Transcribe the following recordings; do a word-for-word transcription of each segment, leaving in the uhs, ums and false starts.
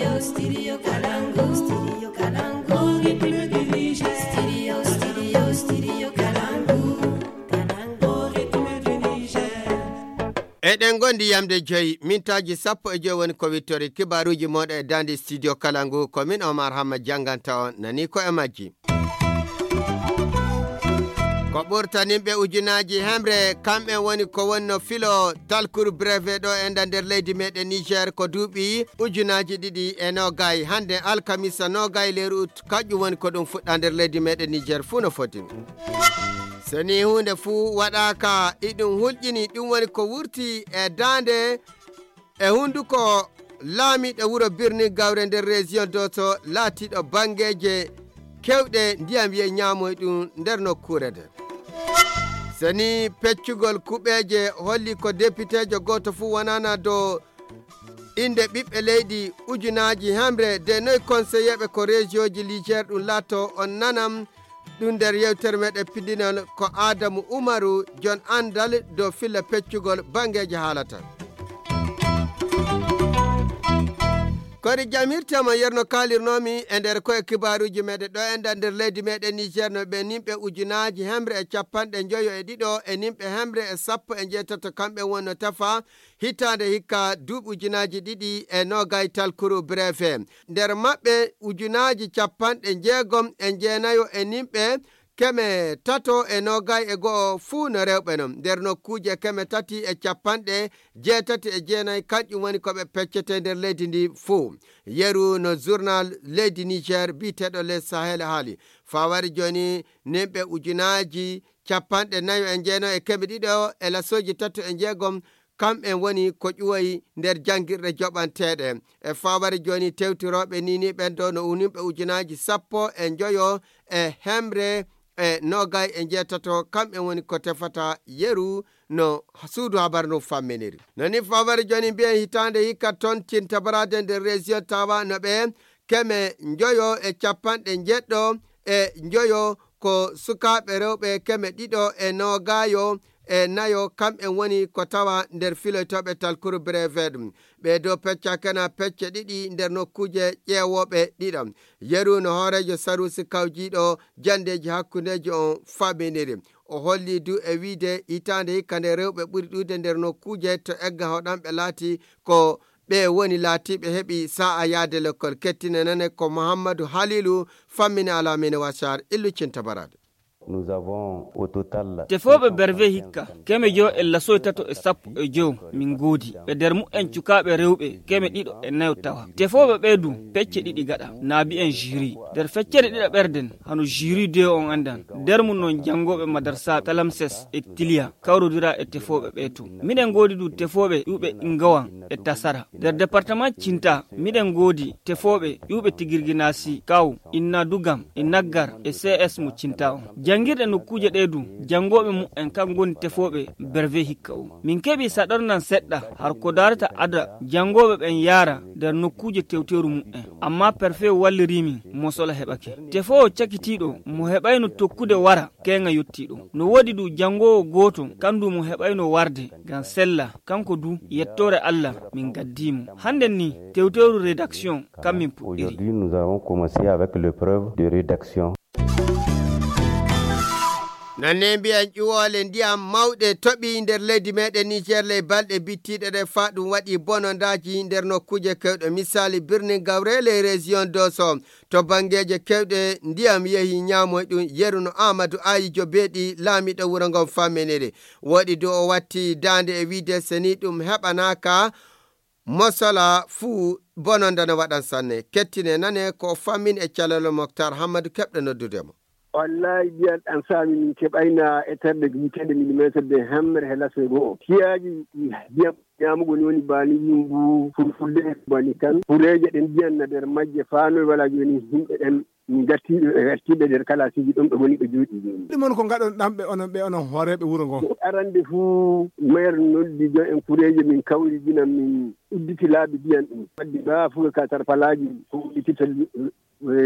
Studio Kalangu, Studio Kalangu, Ritme du Niger. Studio, Studio, Studio Kalangu, Kalangu, Ritme du Niger. Eɗen ngondi yamde joyi, mintaaji sappo e joyi woni ko wittori kibaruuji mooɗon e daande studio Kalangu, ko min Omar Hamma jannganta on, nani ko e majji. Ko ɓurtaninɓe ujunaaji hemre, kamɓe woni ko wonno filo talkuru breve ɗo e nda nder leydi meɗen Niger ko duuɓi ujunaaji ɗiɗi e nogay. Hannde alkamisa nogay lewru ut, kañƴum woni ko ɗum fuɗɗa nder leydi meɗen Niger fuu no foti. So ni huunde fuu waɗaaka, iɗum hulƴini, ɗum woni ko wurti e daande e hunnduko laamiiɗo wuro Birnin Gawre nder région Doso laatiiɗo banngeeje keewɗe ndiyam yey ñaamoy ɗum nder nokkuure nde. So ni peccugol kuɓeeje holli ko depiteejo gooto fuu wonana dow innde ɓiɓɓe leydi ujunaaji hemre de noy konseyeeɓe ko région ji Niger ɗum laato on nanam ɗum nder yewtere meɗen pindinol ko Adamu Umaru, jon anndal dow filla peccugol banngeeji haalata. Kori jam hirtema yerno kaalirnomi e nder koye kibaaruuji meɗen ɗo e nder leydi meɗen Niger no ɓe nimɓe ujunaaji hemre e capanɗe njoyo e ɗiɗo e nimɓe hemre e sappo e njeetato kamɓe wonno tafa hitaande hikka duuɓi ujunaaji ɗiɗi e nogay talkuru breve. Nder maɓɓe ujunaaji capanɗe njeegom e njeenayo e nimɓe keme tato e nogay e go'o fuu no rewɓe non. Nder nokkuuje keme tati e capanɗe jeetati e jeenayi, kanƴum woni ko ɓe peccete nder leydi ndi fuu. Yeru no journal leydi Niger biyeteeɗo Les Sahel haali. Fawari jooni nimɓe ujunaaji capanɗe nayo e jeenayo e keme ɗiɗo e lasooji tato e njeegom kamɓe woni ko ƴuwoyi nder janngirɗe joɓanteeɗe. E fawari jooni tewtirooɓe ni ni ɓen ɗo no unimɓe ujunaaji sappo e njoyo e hemre e nogay e njeetato, kamɓe woni ko tefata yeru no suudu habar no famminiri. No ni fawari jooni mbiyen hitaande hikka toon cintabaraade nder région Tawa no ɓe keme njoyo e capanɗe njeɗɗo e njoyo ko sukaaɓe rewɓe keme ɗiɗo e nogayo e nayo, kamɓe woni ko tawa nder filoytooɓe talkuru brevet. Ɓee ɗoo pecca kena pecce ɗiɗi nder nokkuuje ƴeewooɓe ɗiɗo. Yeru no hooreejo saruusi kawjiiɗo janndeeji hakkundeeji on faminiri. O holli du e wiide hitaande hikka nde rewɓe ɓuri ɗuude nder nokkuuje to egga hoɗanɓe laati ko ɓe woni laatiiɓe heɓi sa'a yaade lekkol. Kettine nane ko Muhammadu Halilu fammini Alamine Wasar illu cinta barade. Nous avons au total Tefooɓe berve hikka, keme jowo e lasoy tato e sappo e jowo min ngoodi. Ɓe nder mu'en cukaaɓe rewɓe, keme ɗiɗo e nayo tawa. Tefooɓe ɓee du, pecce ɗiɗi gaɗa, naabi en jiri. Nder feccere ɗiɗa ɓerden, hano jiri de on anndan. Nder mum non janngooɓe madarsa Talamses e Tiliya, kawrodira e tefooɓe ɓee tun. Miɗen ngoodi du tefooɓe ƴuuɓe Ingawan e Tasara. Nder departement Cinta, miɗen ngoodi tefooɓe ƴuuɓe Tigirginaasi, Kaw, Inna Dugam, e Naggar, e C S mo Cinta on. Janngirɗe nokkuuje ɗee du, janngooɓe mu'en kan ngoni tefooɓe berve hikka o. Min keɓi saɗornan seɗɗa, har ko daarata ada janngooɓe ɓen yaara nder nokkuuje tewteeru mu'en. Amma perfe walliri min, mosola heɓake. Tefoowo cakitiiɗo, mo heɓayno tokkude wara, keeŋa yottii ɗum. No woodi du janngoowo gooto, kandu mo heɓayno warde, ngam sella, kanko du, yettoore Allah, min gaddii mo. Hannden ni, tewteeru rédaction, kam min puɗɗiri. Aujourd'hui, nous avons commencé avec l'épreuve de rédaction. Nonne mbiyen ƴuwoole ndiyam mawɗe toɓi nder leydi meɗen Niger ley balɗe bittiɗe ɗe faa ɗum waɗi bonondaaji nder nokkuuje kewɗe. Misali, birnin Gawre ley région Doso. To banngeeje keewɗe, ndiyam yehi ñaamoy ɗum. Yeru no Aamadu Aayijo Beeɗi, laamiiɗo wuro ngon, famminiri. Woɗi du o watti daande e wiide, so ni ɗum heɓanaaka, mosola fuu bononda no waɗan sanne. Kettine nane ko o fammini e calal Moktar Hammadu, keɓɗo noddude mo. Wallaahi, ndiyam ɗam saami min keɓayna e terɗe wiyeteende millimeeter de hemre he lase goo. Siyaaji ndiyam ñaamugol woni bani yumbu, fulfulde bani kan. Kureeje ɗen ndiyan na nder majje faanoy wala jooni yimɓe ɗen ngartiiɓe, ɓe ngartiiɓe nder kalaasiiji ɗon ɓe ngoni ɓe jooɗii jooni. Ɗum on ko ngaɗon ɗam ɓe onon, ɓe onon hooreeɓe wuro ngo? Arande fuu, maire noddi jon en kureeje min kawri ginan min udditi laabi ndiyan ɗum. Waddi baa fuka ka tarpalaaji ko udditita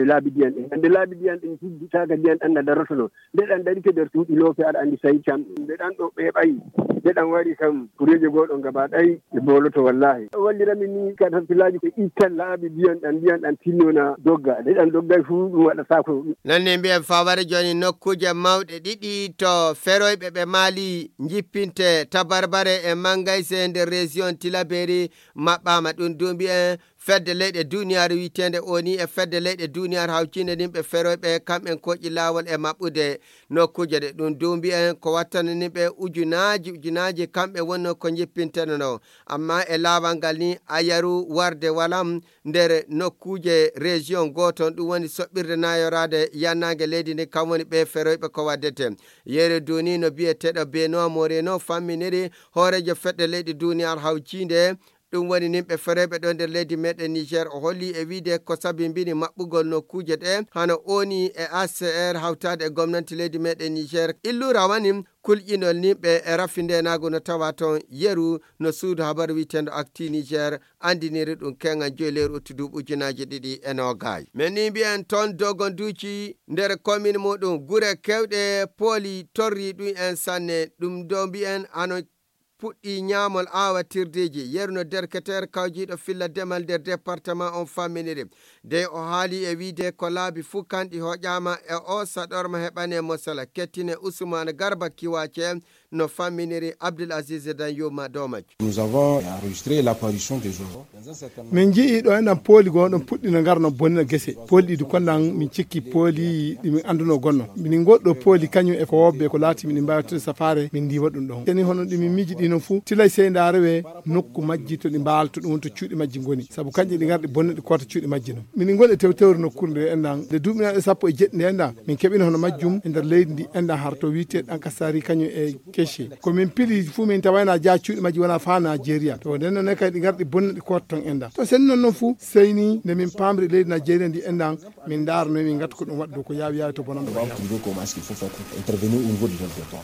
laabi ndiyan ɗin. Hannde laabi ndiyan ɗin, hijjitaaka ndiyan ɗan na darotono. Nde ɗan darike nder cuuɗi loope, aɗa anndi sayi kam, nde ɗan ɗo ɓeeɓay, nde ɗan wari kam, kureeje goo ɗon gaba ɗay, ɓe booloto wallaahi. O wallirami ni, katarpilaaji ko ittan laabi ndiyan ɗan, ndiyan ɗan tinnona dogga. Nde ɗan doggay fuu, ɗum waɗataako. Non ni mbiyen faware jooni nokkuuje mawɗe ɗiɗi to feroyɓe ɓe Mali njippinte, Tabarbare e Mangayse nder région Tilaberi maɓɓaama. Ɗum duumbi en fedde leyɗe duniyaaru wiyeteende O N U e fedde leyɗe duniyaaru hawtiinde nin ɓe feroyɓe kamɓen koƴi laawol e maɓɓude nokkuuje ɗe. Ɗum duumbi en ko wattani nin ɓe ujunaaji, ujunaaji kamɓe wonno ko njippinteno no. Amma e laawal ngal ni a yaru warde walam nder nokkuuje région gooton, ɗum woni soɓɓirde nayoraade yannaange leydi ndi, kam woni ɓe feroyɓe ko waddete. Yeru duni no biyeteeɗo Benoit Moreno famminiri hooreejo fedde leyɗe duniyaaru hawtiinde, ɗum woni nin ɓe feroyɓe ɗo nder leydi meɗen Niger. O holli e wiide ko sabimbini maɓɓugol nokkuuje ɗe hano O N U e A C R hawtaade e gomnanti leydi meɗen Niger. Illura woni kulƴinol ni ɓe e rafi ndenaagu no tawa toon yeru no suudu habaru wiyeteendo Actu Niger anndiniri ɗum keŋal joyi lewru uttu duuɓi ujunaaji ɗiɗi e noogay. Men ni mbiyen toon dogonduuci nder komin muɗum gure kewɗe pooli torri ɗum en sanne. Ɗum do mbiyen hano puɗɗi ñaamol aawatirdeeji. Yeru no derketeer kawjiiɗo filla demal nder département on famminiri. Dey o haali e wiide ko laabi fuu kanɗi hoƴaama e o saɗorma heɓane mosala. Kettine Usman Garba Kiwace no famminiri Abdul Aziz Dan Yuma dow majjum. Nous avons enregistré l'apparition des oiseaux. Min njii ɗo enɗan pooli goo ɗon puɗɗi no ngarno bonnina gese. Pooli ɗi du konɗan min cikki pooli ɗi min annduno gonno. Minin goɗɗo pooli kañum e ko wobbe ko laati min mbaawi wattude safaare min ndiiwa ɗum ɗon. Seni hono ɗi min miiji ɗi non fuu, tilay sey ndaare we nokku majji to ɗi mbaalto ɗum woni to cuuɗi majji ngoni. Sabu kanƴe ɗi ngarɗi bonne ɗi koota cuuɗi majji non. Minin ngoni e tewtewre nokkuure nde enɗan. Nde duuɓi naɗe sappo e jeɗɗi nde enɗan, min keɓino hono majjum e nder leydi ndi enɗan har to wiite ɗan kasari kañum e Keshi. Ko min pili fuu min tawayna jaa cuuɗi majji wona faa Najeriya. To nden non ne kay ɗi ngarɗi bonne ɗi koota ton enɗan. To sen non non fuu, sey ni nde min paamri leydi Najeriya ndi enɗan, min ndaara noy min ngatta ko ɗum waɗa dow ko yaawi yaawi to bonan ɗo. On va trouver comment est-ce qu'il faut faire pour intervenir au niveau du territoire.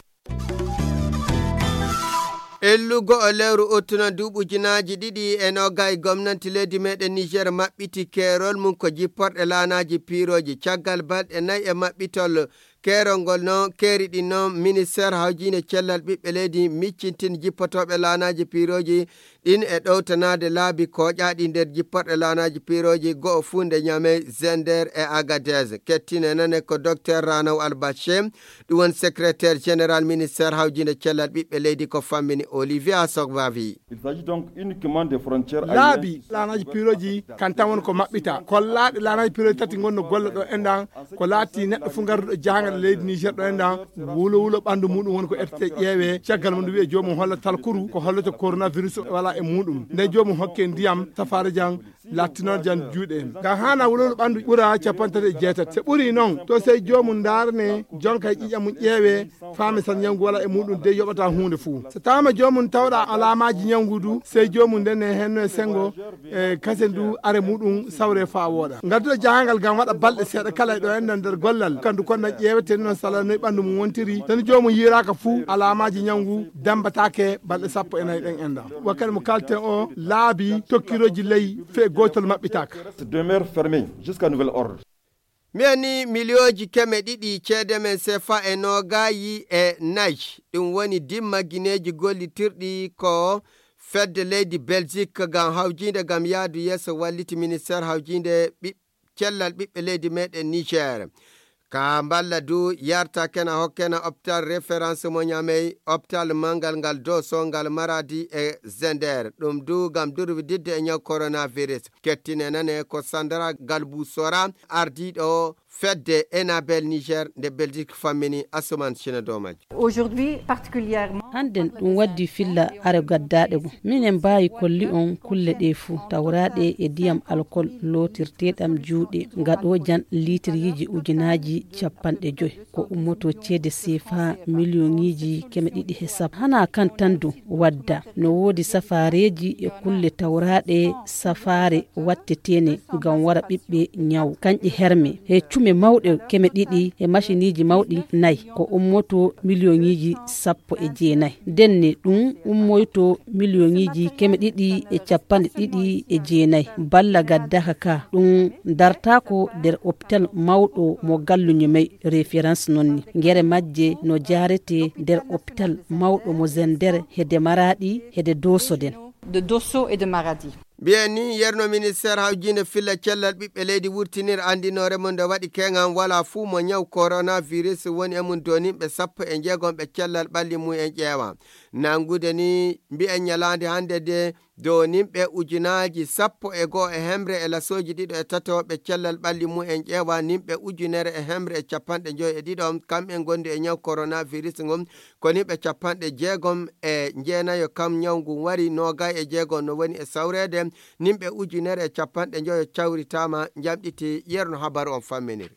Ellugo o lewru uttuno duuɓi ujunaaji ɗiɗi e noogay, gomnanti leydi meɗen Niger maɓɓiti keerol mum ko jipporɗe laanaaji piirooji. Caggal balɗe nayi e maɓɓitol keerol ngol noon, keeri ɗin noon, ministeer hawjiinde cellal ɓiɓɓe leydi miccintin jippotooɓe laanaaji piirooji ɗin e ɗowtanaade laabi kooƴaaɗi nder jipporɗe laanaaji piirooji go'o fuu nde Ñamey, Zender e Agadez. Kettine nane ko Docteur Ranaw Albache, ɗum woni secrétaire général ministeer hawjiinde cellal ɓiɓɓe leydi ko fammini Olivia Sogbavi. Il s'agit donc uniquement des frontières aériennes. Laabi laanaaji piirooji kan tan woni ko maɓɓita. Kollaaɗe laanaaji piirooji tati ngonno golle ɗo enɗan. Ko laati neɗɗo fuu ngarduɗo jahangal e leydi Niger ɗo enɗan, wulo wulo ɓanndu muɗum woni ko ettete ƴeewe. Caggal mum ndu wi'e joomum holla talkuru ko hollata coronavirus wala e muɗum. Nde joomum hokke ndiyam, safaare jam, lattinoor jam juuɗe en. Ngam haana wulo wulo ɓanndu ɓura capanɗe tati e jeetati. So ɓuri noon, to sey joomum ndaarane jonka e ƴiƴam mum ƴeewe, faame san ñawngu wala e muɗum de yoɓata huunde fuu. So taama joomum tawɗa alaamaaji ñawngu du, sey joomum nden ne henno e senngo e kase ndu are muɗum sawre faa wooɗa. Ngadduɗo jahangal ngam waɗa balɗe seeɗa kala e ɗo enɗan nder gollal, kandu konɗan ƴeewete noon sala noy ɓanndu mum wontiri. Tan joomum yiiraaka fuu alaamaaji ñawngu dambataake balɗe sappo e nayi ɗen enɗan. Wakkati mo kalten o laabi tokkirooji ley fe gootol maɓɓitaaka. Demeure fermée jusqu'à nouvel ordre. Mbiyen ni miliyooji keme ɗiɗi ceede men sefa e noogaayi e nayi. Ɗum woni dimma gineeji gollitirɗi ko fedde leydi Belgique ngam hawjiinde ngam yaadu yeeso walliti ministeer hawjiinde ɓiɓ-, cellal ɓiɓɓe leydi meɗen Niger. Ka mballa du yarta kena hokkena hôpital référence mo Ñamey, hôpital mangal ngal Doso ngal Maradi e Zender. Ɗum du ngam durwididde e ñaw coronavirus. Kettine nane ko Sandra Galbou Sora, ardiiɗo fedde Enabel Niger nde Belgique fammini Asuman Sina Domaji. Aujourd'hui, particulièrement, hannden ɗum waddi filla are gaddaaɗe goo. Minen mbaawi kolli on kulle ɗee fuu, tawraaɗe e ndiyam alkol lootirteeɗam juuɗe, ngaɗoojan liitiryiiji ujunaaji capanɗe joy. Ko ummoto ceede sefa miliyoŋiiji keme ɗiɗi he sappo. Hanaa kan tan du wadda, no woodi safaareeji e kulle tawraaɗe safaare watteteene ngam wara ɓiɓɓe ñaw. Kanƴe herme he Mawɗe keme ɗiɗi e maciniiji mawɗi nayi ko ummoto miliyoŋiiji sappo e jeenayi. Ndenne ɗum ummoyto miliyoŋiiji keme ɗiɗi e capanɗe ɗiɗi e jeenayi. Balla gaddaka ka ɗum dartaako nder optal mawɗo mo Galluño Mey, référence noon ni. Ngere majje no jaarete nder optal mawɗo mo Zender, hede Maraɗi, hede Dooso nden. De Dosso et de Maradi. Mbiyen ni, yerno ministeer hawjiinde filla cellal ɓiɓɓe leydi wurtinir anndinoore mum nde waɗi keŋan wala fuu mo ñaw coronavirus woni e mum doninɓe sappo e jeegom ɓe cellal ɓalli mum en ƴeewa. Nanngude ni, mbiyen ñalaande hannde de doninɓe ujunaaji sappo e go'o e hemre e lasooji ɗiɗo e tato ɓe cellal ɓalli mum en ƴeewa, nimɓe ujunere e hemre e capanɗe joy e ɗiɗo, kamɓe ngondi e ñaw coronavirus ngun, ko nimɓe capanɗe jeegom e jeenayo kam ñaw ngun wari, noogay e jeegom no woni e sawreede, nimɓe ujunere e capanɗe joyo cawritaama, njamɗiti yerno habaru on famminiri.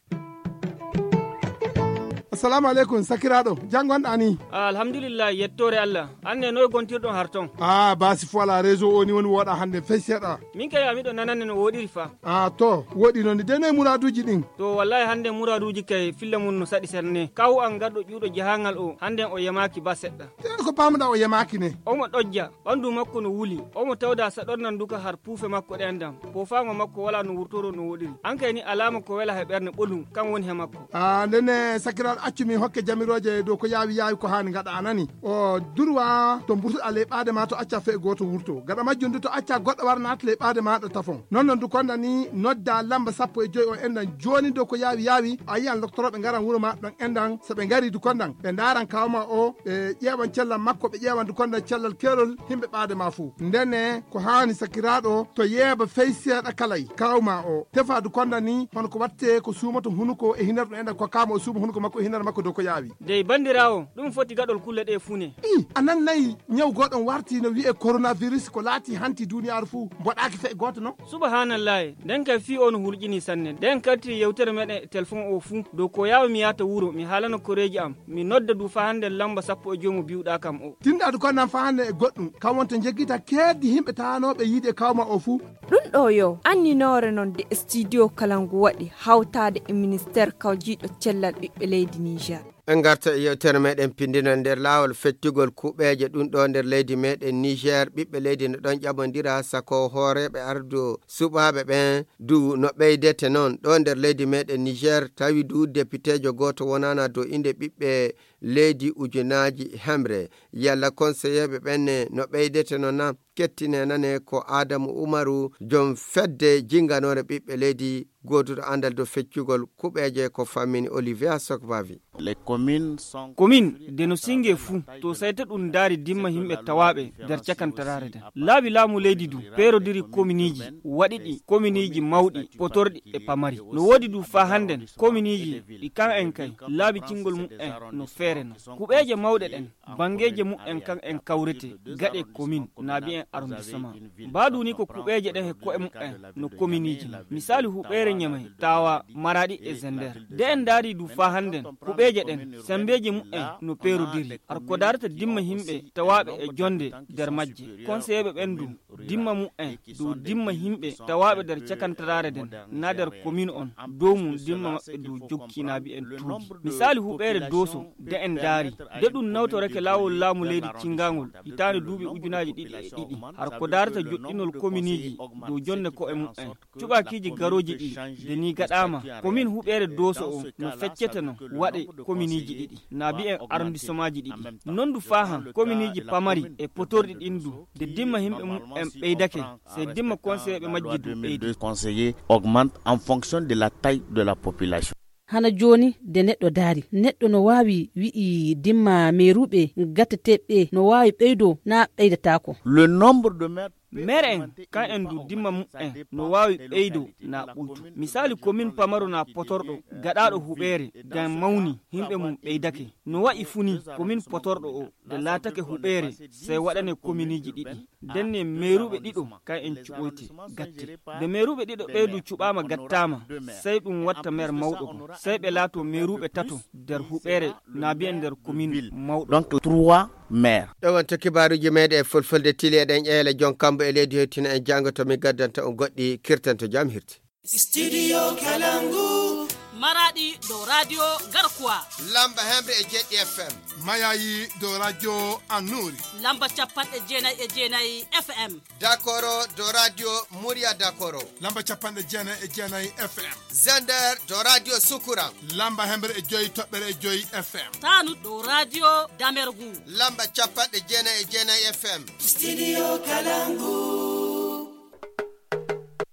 Assalamu aleykum, sakiraaɗo. Jam ngonɗaa ni? Ah, alhamdulillah, yettoore Allah. An ne, noy gontirɗon har ton? Ah, baasi fo alaa, réseau o ni woni wooɗaa hannde fey seeɗa. Min kay, a miɗo nanande no wooɗiri fa. Ah, to, wooɗi noon ni. De noy muraaduuji ɗin? To, wallahi hannde muraaduuji kay filla mum no saɗi serne. Kawu an garɗo ƴuuɗo jahangal o, hannde o yamaaki ba seɗɗa. Te ko paamuɗaa o yamaaki ne? Omo ɗojja, ɓandu makko no wuli. Omo tawda saɗornan duka har puufe makko ɗen dam. Poofaango makko walaa no wurtoro no wooɗiri. An kay ni alaama ko wela he ɓernde ɓolum, kan woni he makko. Ah, ndenne sakiraaɗo, accu min hokke jamirooje dow ko yaawi yaawi ko haani ngaɗa, a nani? O durwa to mburtuɗaa ley ɓaade ma to acca fee gooto wurto. Gaɗa majjum du to acca goɗɗo wara naata ley ɓaade ma ɗo tafon. Non non du konda ni nodda lamba sappo e joy o endan jooni dow ko yaawi yaawi. A yiyan loktorooɓe ngaran wuro ma ɗon endan. So ɓe ngari du kondan ɓe ndaaran kaaw ma o, ɓe ƴeewan cellal makko, ɓe ƴeewan du kondan cellal keerol himɓe ɓaade ma fuu. Ndenne ko haani sakiraaɗo to yeeba fey seeɗa kalay kaaw ma o. Tefa du kondan ni hono ko watte ko suumoto hunuko e hinar ɗum endan ko kaama o suuma hunuko makko e hinar makko dow ko yaawi. Dey bandiraawo, ɗum foti gaɗol kulle ɗe fuu ne. I, a nan nayi ñaw gooɗon warti no wi'e coronavirus ko laati hanti duuniyaaru fuu mboɗaaki fey gooto non? Subhaanallaahi, nden kay fii o no hulƴinii sanne. Nden karti yewtere meɗen e telefon o fuu. Dow ko yaawi mi yaata wuro, mi haalana koreeji am. Mi nodda du faa hannde lamba sappo e joy mo biwɗaa kam o. Tinɗaadu ko nan faa hannde e goɗɗum. Kam wonto njeggita keeddi himɓe taanooɓe yiide kawma o fuu. Ɗum ɗo yo anninoore non de studio Kalangu waɗi hawtaade e ministeer kawjiiɗo cellal ɓiɓɓe leydi Niger. En ngarta e yewtere meɗen pindinal nder laawol feccugol kuɓeeje ɗum ɗo nder leydi meɗen Niger. Ɓiɓɓe leydi no ɗon ƴamondira sako hooreeɓe ardu suɓaaɓe ɓen du no ɓeydete non ɗo nder leydi meɗen Niger. Tawi du depiteejo gooto wonana dow innde ɓiɓɓe leydi ujunaaji hemre. Yalla konseyeeɓe ɓen ne no ɓeydete non na? Kettine nane ko Adamu Umaru, jom fedde jinganoore ɓiɓɓe leydi, gooduɗo anndal dow feccugol kuɓeeje ko fammini Olivia Sokbavi. Komin de no singe fuu, to sayta ɗum ndaari dimma yimɓe tawaaɓe nder cakantaraare nden. Laabi laamu leydi du peerodiri kominiiji, waɗi ɗi kominiiji mawɗi, potorɗi e pamari. No woodi du faa hannden kominiiji ɗi kan en kay laabi cingol muɓɓen no feere non. Kuɓeeje mawɗe ɗen, banngeeje muɓɓen kan en kawrete gaɗe komin naa bi'en arrondissement. Mbaadu ni ko kuɓeeje ɗen he ko'e muɓɓen no kominiiji non. Misaali huɓeere Ñamay, Tawa, Maraɗi e Zender. De en ndaari du faa hannden kuɓeeje ɗen, sembeeji muɓɓen no peerodiri. Har ko daarata dimma yimɓe tawaaɓe e jonde nder majje. Konseyeeɓe ɓen du, dimma muɓɓen du, dimma yimɓe tawaaɓe nder cakantaraare nden, naa nder komin on, dow mum dimma maɓɓe du jokki naa bi'en tuugi. Misaali huɓeere Dooso, de en ndaari, de ɗum nawtorake laawol laamu leydi cinngangol, hitaande duuɓi ujunaaji ɗiɗi e ɗiɗi. Har ko daarata joɗɗinol kominiiji dow jonde ko'e muɓɓen. Cuɓaakiiji garooji ɗi, de ni gaɗaama, komin huɓeere Dooso o no feccete non, waɗe kominiiji ɗiɗi, naa bi'en arrondissemaaji ɗiɗi. Non du faa han, kominiiji pamari e potorɗi ɗin du, de dimma yimɓe muɓɓen ɓeydake, sey dimma konseyeeɓe majji du ɓeydi. Conseillers augmentent en fonction de la taille de la population. Hana jooni, de neɗɗo daari, neɗɗo no waawi wi'i dimma meeruɓe gateteeɓe no waawi ɓeydo naa ɓeydataako. Le nombre de maires Mere en, kan en du dimma muɓɓen no waawi ɓeydo naa ɓuyto. Misaali, komin pamaro naa potorɗo, gaɗaaɗo huɓeere, ngam mawni, yimɓe mum ɓeydake. No wa'i fu ni, komin potorɗo o, de laatake huɓeere, sey waɗane kominiiji ɗiɗi. Ndenne meeruɓe ɗiɗo, kan en cuɓoyte, gatte. De meeruɓe ɗiɗo ɓee du cuɓaama gattaama, sey ɗum watta meer mawɗo go. Sey ɓe laato meeruɓe tato nder huɓeere, naa bi'en nder komin mawɗo. Donc, trois maires. Ɗo wonto kibaaruuji meɗen e fulfulde tili eɗen ƴeela jon kambo e leydi hoytino en janngo to mi gaddanta on goɗɗi kirtanto jam hirti. Studio Kalangu. Maradi dow radio Garkuwa. Lamba hemre e jeɗɗi F M. Mayayi dow radio Annuri. Lamba capanɗe jeenayi e jeenayi F M. Dakoro dow radio Murya Dakoro. Lamba capanɗe jeenayi e jeenayi F M. Zender dow radio Sukura. Lamba hemre e joyi toɓɓere e joyi F M. Tanu dow radio Damergu. Lamba capanɗe jeenayi e jeenayi F M. Studio Kalangu.